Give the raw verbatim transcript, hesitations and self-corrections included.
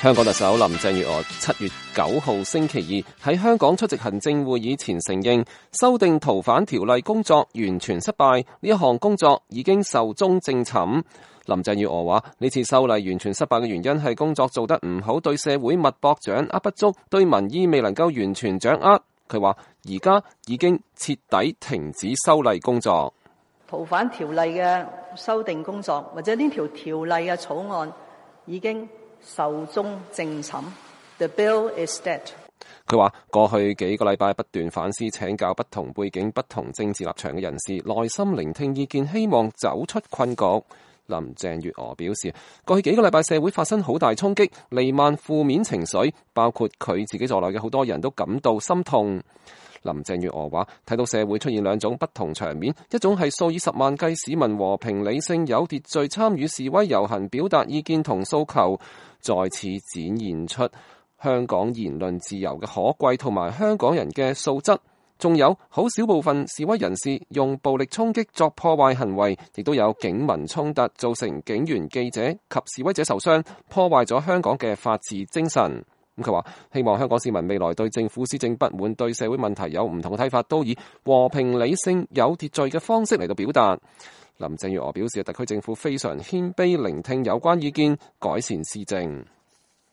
香港特首林鄭月娥七月九號星期二喺香港出席行政會議前承認，修訂逃犯條例工作完全失敗，呢一項工作已經壽終正寢。林鄭月娥話：呢次修例完全失敗嘅原因係工作做得唔好，對社會脈搏掌握不足，對民意未能夠完全掌握。佢話：而家已經徹底停止修例工作。逃犯條例嘅修訂工作，或者呢條條例嘅草案已經壽終正寢。The bill is dead。佢話過去幾個禮拜不斷反思請教不同背景、不同政治立場嘅人士，耐心聆聽意見，希望走出困局。林鄭月娥表示，過去幾個禮拜社會發生好大衝擊，彌漫負面情緒，包括佢自己在內嘅好多人都感到心痛。林鄭月娥話：睇到社會出現兩種不同場面，一種係數以十萬計市民和平理性有秩序參與示威遊行，表達意見同訴求，再次展現出香港言論自由嘅可貴同埋香港人嘅素質。仲有好少部分示威人士用暴力衝擊作破壞行為，亦都有警民衝突，造成警員、記者及示威者受傷，破壞咗香港嘅法治精神。咁佢話希望香港市民未來對政府施政不滿、對社會問題有唔同嘅睇法，都以和平、理性、有秩序嘅方式嚟到表達。林鄭月娥表示，特區政府非常謙卑聆聽有關意見，改善施政。